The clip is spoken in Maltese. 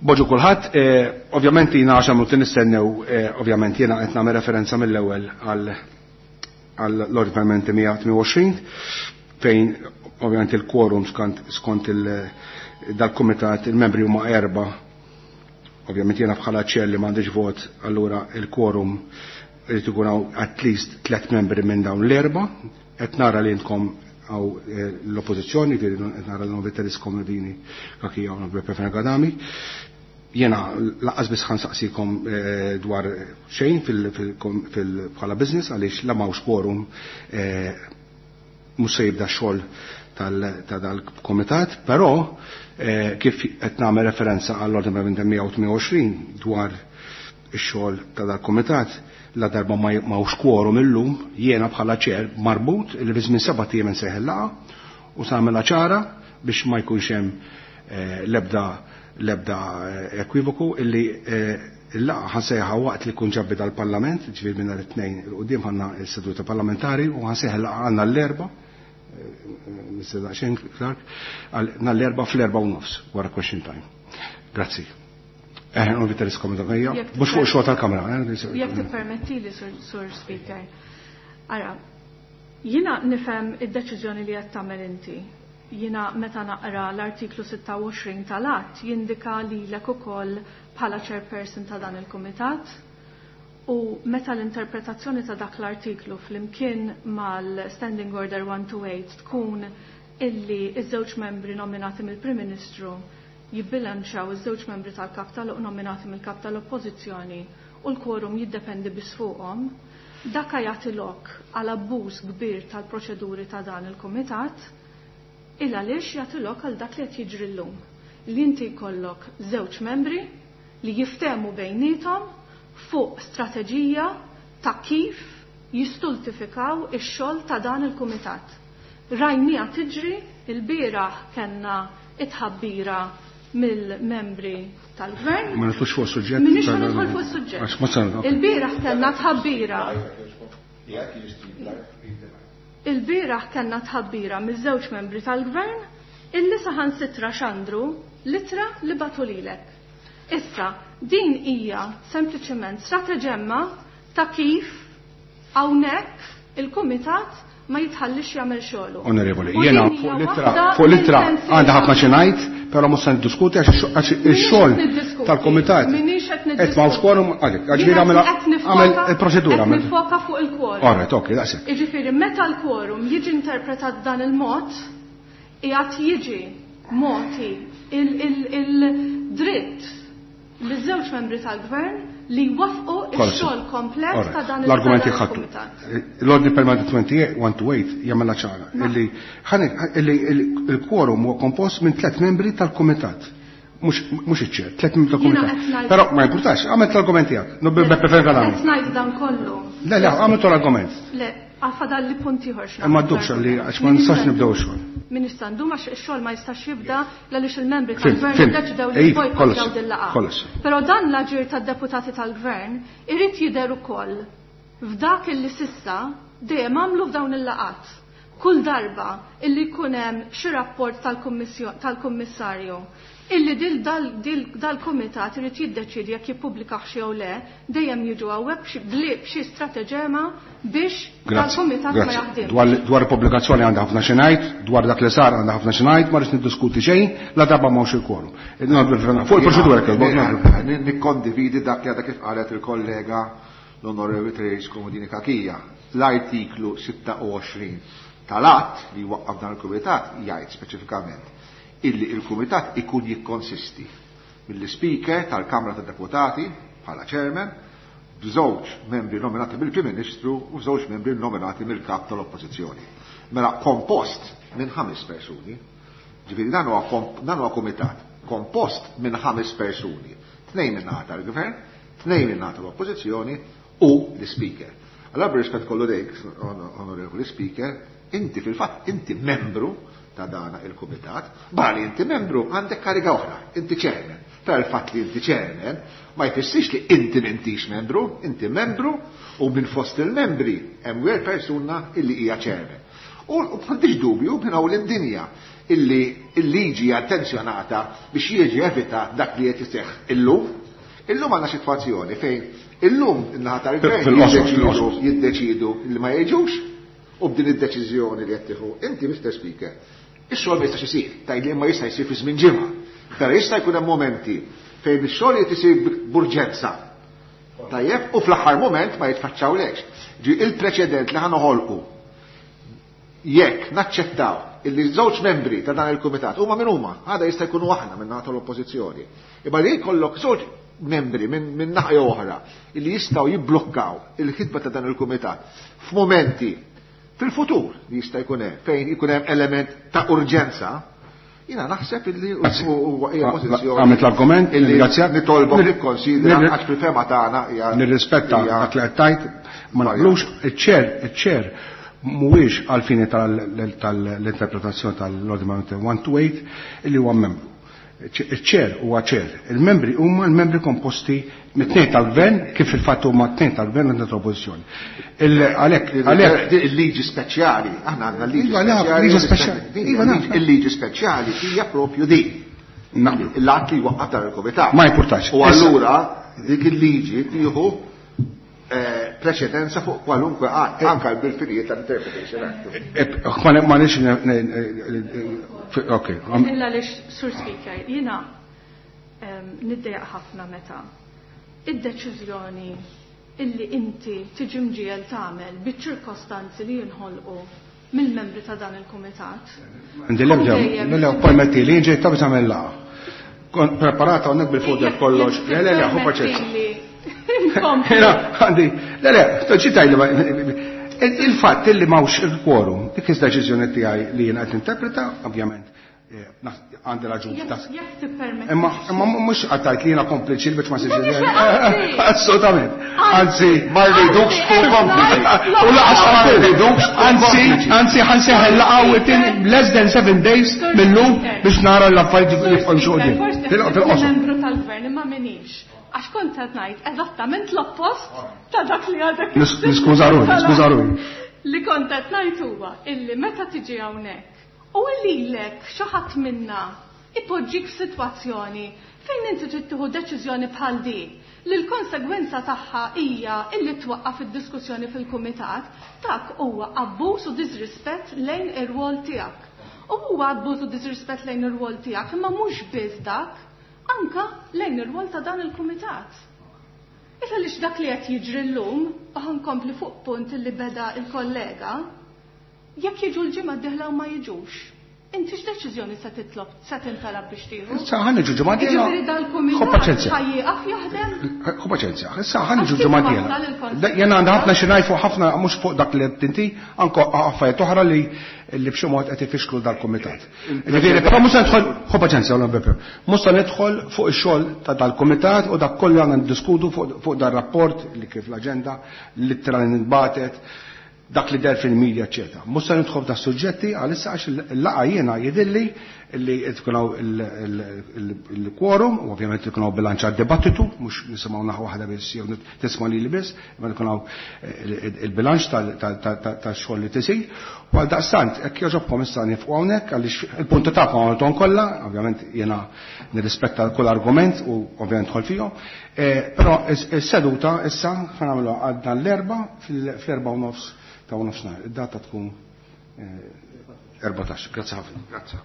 Boġu kulħadd, ovvjament jiena għaxar minuti nistennew, ovvjament jiena qed nagħmel referenza mill-ewwel għal l-Ordni Permanenti 128 fejn ovvjament il-quorum skont dal-kumitat il-membri huma 4. Ovvjament jiena bħala chair li m'għandix vot, allura il-quorum irid ikun hawn at least 3 membri minn dawn l-4. Qed nara li intkom għaw l-oppożizzjoni, ġifieri qed nara l-Onorevoli Therese Comodini Cachia u l-Onorevoli Pepe Fenech Adami. Jiena lanqas biss ħansaqsikom dwar xejn bħala business għaliex la m'hawnx quorum mhux se jibda x-xogħol ta' dal-komitat, però kif qed nagħmel referenza għall-Ordni Permanenti 128 dwar ix-xogħol ta' dal-komitat, la darba ma hawnx quorum illum, jiena bħala chair marbut li fi żmien 7 ijiem insejħ il-laqgħa u se nagħmilha ċara biex ma jkunx hemm l-ebda ekwivoku illi il-laqgħa ħansejħa waqt li jkun ġabbi dal-Parlament, ġifieri minn nhar it-Tnejn il quddiem ħanna s-seduta parlamentari u ħansejħ il-laqgħa għandna l-Erbgħa, Mister Daqsxejn Clark, nhar l-Erbgħa fl-erba' u nofs wara question time. Grazzi. Non vi teres komenda mejja. Mhux fuq xogħol tal-Kamra, Jekk tippermettili, Sur Speaker. Ara, jiena nifhem id-deċiżjoni li qed tagħmel inti. Jiena meta naqra l-artiklu 26 tal-att jindika lilek ukoll bħala chairperson ta' dan il-kumitat u meta l-interpretazzjoni ta' dak l-artiklu flimkien mal-Standing Order 128 tkun illi iż-żewġ membri nominati mill-Prim Ministru jibbilanċaw iż-żewġ membri tal-kap tal nominati mill-kap tal-Oppożizzjoni u l-quorum jiddependi biss fuqhom, daka jagħti lok għal abbuż kbir tal-proċeduri ta' dan il-kumitat il għaliex jagħti lok għal dak li qed jiġri llum. Li inti jkollok żewġ membri li jiftehmu bejniethom fuq strateġija ta' kif jistultifikaw ix-xogħol ta' dan il-kumitat. Rajnija tiġri il-bieraħ kellna itħabbira mill-membri tal-gvern. Ma nidħlux fuq suġġett. Minix ma nidħol fuq suġġett. Għax ma sar, ok. Il-bieraħ kellna tħabbira. Il-bieraħ kellna tħabbira miż-żewġ membri tal-gvern illi saħansitra xandru litra li batu lilek. Issa, din hija sempliċement strateġemma ta' kif hawnhekk il-kumitat ma jitħallix jagħmel xogħlu. Onorevoli, U jiena din hija fuq litra, waħda fuq litra mill-pensiera. għandha ħafna xi ngħid, però mhux se niddiskuti għax ix-xogħol Minix qed niddiskuti. tal-kumitat Minix qed qed ma niddiskuti. hawnx quorum għalik, għax Jiena ġifieri qed nifoka għamel il-proċedura, qed għamel. nifoka fuq il-quorum. All right, okay, daqshekk. Jiġifieri meta l-quorum jiġi interpretat dan il-mod, qiegħed jiġi moti il-dritt li żewġ membri tal-gvern li jwaffqu Kollox. ix-xogħol komplet All right. ta' dan L-argumenti il- ħadtu. kumitat. L-ordni permanenti twenty-eight, one to eight jagħmilha ċara. Ma- Illi ħan-, illi il-quorum huwa kompost minn 3 membri tal-kumitat. Mhux iċ-ċer, 3 membri tal-kumitat. Jiena qed ngħid- Però ma jimpurtax, għamilt l-argument tiegħek. No, Beppe Fenech Adami. Qed ngħid dan kollu. Le, le, għamilt l-argument. Le, għafadal li punt ieħor x'nagħmel. Imma ddubx għalli għax ma nistax nibdew ix-xogħol. Min nista' ndum għax ix-xogħol ma jistax jibda għaliex il-membri Fim, tal-gvern fim. iddeċidew li Ej, jbojkottjaw kollox, din laqgħa. kollox. Però dan l-aġir tad-deputati tal-gvern irid jidher ukoll f'dak illi sissa dejjem għamlu f'dawn il-laqgħat. Kull darba illi jkun hemm xi rapport tal-kummissarju illi dal-kumitat irid jiddeċiedi jekk jippubblikax jew le, dejjem jiġu hawnhekk b'xi strateġema biex Grazzi, dal-kumitat ma grazzi. jaħdimx. Dwar pubblikazzjoni għandha ħafna xi ngħid, dwar dak li sar għandha ħafna xi ngħid, ma rridx niddiskuti xejn, la darba m'hawnx il-quorum. Fuq il-proċedura kif, Nikkondividi dak li għadha kif qalet il-kollega l-Onorevoli Therese Comodini Cachia. L-artiklu 26 tal-att li waqqaf dan il-kumitat jgħid speċifikament illi il-kumitat ikun jikkonsisti mill-Speaker tal-Kamra tad-Deputati bħala Chairman, b'żewġ membri nominati mill-Prim Ministru u żewġ membri nominati mill-Kap tal-Oppożizzjoni. Mela kompost minn 5 persuni, ġifieri dan huwa kumitat kompost minn 5 persuni, 2 minn naħa tal-Gvern, 2 minn naħa tal-Oppożizzjoni u l-Speaker. Allora b'rispett kollu dejk, onorevoli Speaker, inti fil-fatt inti membru ta' dana il-kumitat, barra li inti membru għandek kariga oħra, inti chairman. Però il-fatt li inti chairman ma jfissirx li inti m'intix membru, inti membru u minn fost il-membri hemm wieħed persuna illi hija chairman. U m'għandix dubju minn hawn id-dinja illi l-liġi hija intenzjonata biex jiġi evitat dak li qed iseħħ illum. Illum għandna sitwazzjoni fejn illum in-naħa tal-gvern jiddeċidu li ma jiġux u b'din id-deċiżjoni li qed tieħu inti, Mr. Speaker, ix-xogħol ma jistax isir, tgħidli imma jista' jsir fi żmien ġimgħa. Però jista' jkun hemm momenti fejn ix-xogħol qed isir b'urġenza. Tajjeb, u fl-aħħar moment ma jitfaċċawlekx. Ġi il-preċedent li ħa noħolqu jekk naċċettaw illi żewġ membri ta' dan il-kumitat huma min huma, għada jista' jkunu aħna minn naħa tal-oppożizzjoni. Imma li jkollok żewġ membri minn naħa jew oħra illi jistgħu jibblokkaw il-ħidma ta' dan il-kumitat f'momenti fil-futur li jista' jkun hemm fejn ikun hemm element ta' urġenza, jiena naħseb illi hija pożizzjoni. Għamilt l-argument, illi nitolbok nikkonsidra għax fil-fema tagħna hija. Nirrispetta dak li qed tgħid, ma naqblux, iċ-ċer mhuwiex għall-fini tal-interpretazzjoni tal-Ordinament 128 illi huwa membru. Iċ-ċer huwa ċer. Il-membri huma l-membri komposti mit-tnejn tal-gvern, kif fil-fatt huma t-tnejn tal-gvern u tal-oppożizzjoni. Għalhekk għalhekk il-liġi speċjali, aħna għandna liġi speċjali. Il-liġi speċjali hija propju din. L-att li waqqaf dan il-kumitat. Ma jimpurtax. U allura dik il-liġi tieħu preċedenza fuq kwalunkwe att, anka bil-finijiet tal-Interpretation Act. Ma nix ok. Illa għaliex, Sur Speaker, jiena niddejjaq ħafna meta id-deċiżjoni illi inti tiġi mġiegħel tagħmel biċ-ċirkostanzi li jinħolqu mill-membri ta' dan il-kumitat. Għandi l-ebda, l permetti li ġejt ta' tagħmel laqgħa. Kont preparata hawnhekk bil-folder kollox. Le, le, le, ħu paċenza. Għandi, le, le, ġitaj li il-fatt illi m'hawnx il-quorum, dik is deċiżjoni tiegħi li jiena qed interpreta, ovvjament, għandi raġun. Jekk tippermetti. Imma mhux qed li jiena kompliċi biex ma sirx. Assolutament. Anzi, ma rridux tkun kompliċi. U laqas ma rridux. Anzi, anzi ħa nsejjaħ il-laqgħa within less than 7 days mill-lum biex nara l-affarijiet jibqgħu jimxu quddiem. Fil-qosor. Membru tal-gvern imma minix. Għax kont qed ngħid eżattament l-oppost ta' dak li għadek. Niskuża ruħi, niskuża ruħi. Li kont qed ngħid huwa illi meta tiġi hawnhekk u lilek xi ħadd minna ipoġġik f'sitwazzjoni fejn inti trid tieħu deċiżjoni bħal di li l-konsegwenza tagħha hija illi twaqqaf id-diskussjoni fil-kumitat, dak huwa abbuż u disrispett lejn ir-rwol tiegħek. U huwa abbuż u disrispett lejn ir-rwol tiegħek, imma mhux biss dak, anka lejn ir-rwol ta' dan il-kumitat. Issa lix dak li qed jiġri llum, u ħa nkompli fuq punt li beda il-kollega, jekk jiġu l-ġimgħa d-dieħla u ma jiġux, inti x'deċiżjoni se titlob, se tintalab biex tieħu? Issa ħa niġu ġimgħa d-dieħla. Jiġifieri dal-kumitat ħa jieqaf jaħdem? Ħu paċenzja, issa ħa niġu ġimgħa d-dieħla. Jena għandha ħafna xi ngħid fuq ħafna mhux fuq dak li qed inti, anke affarijiet oħra li b'xi mod qed ifixklu dal-kumitat. Jiġifieri, però mhux se nidħol, ħu paċenzja, Beppe, mhux se nidħol fuq ix-xogħol ta' dal-kumitat u dak kollu għandna niddiskutu fuq dar-rapport li kif l-aġenda litterali nbatet, dak li der fil-media, eccetera. Mhux se nidħol f'da suġġetti għalissa għax il-laqgħa jiena jidilli li tkun hawn il-quorum, u ovvjament ikun hawn bilanċ għad-dibattitu, mhux nisimgħu naħa waħda biss jew tisma' lili biss, imma ikun hawn il-bilanċ tax-xogħol li tisir. U għal daqstant, hekk jogħġobkom issa nifqu hawnhekk għaliex il-punti tagħkom għamilthom kollha, ovvjament jiena nirrispetta kull argument u ovvjament dħol fihom. Però is-seduta issa ħa nagħmluha għal dan l-erba' fl-4:30 ta' nofsinhar. Id-data tkun 14. Grazzi ħafna. Grazzi.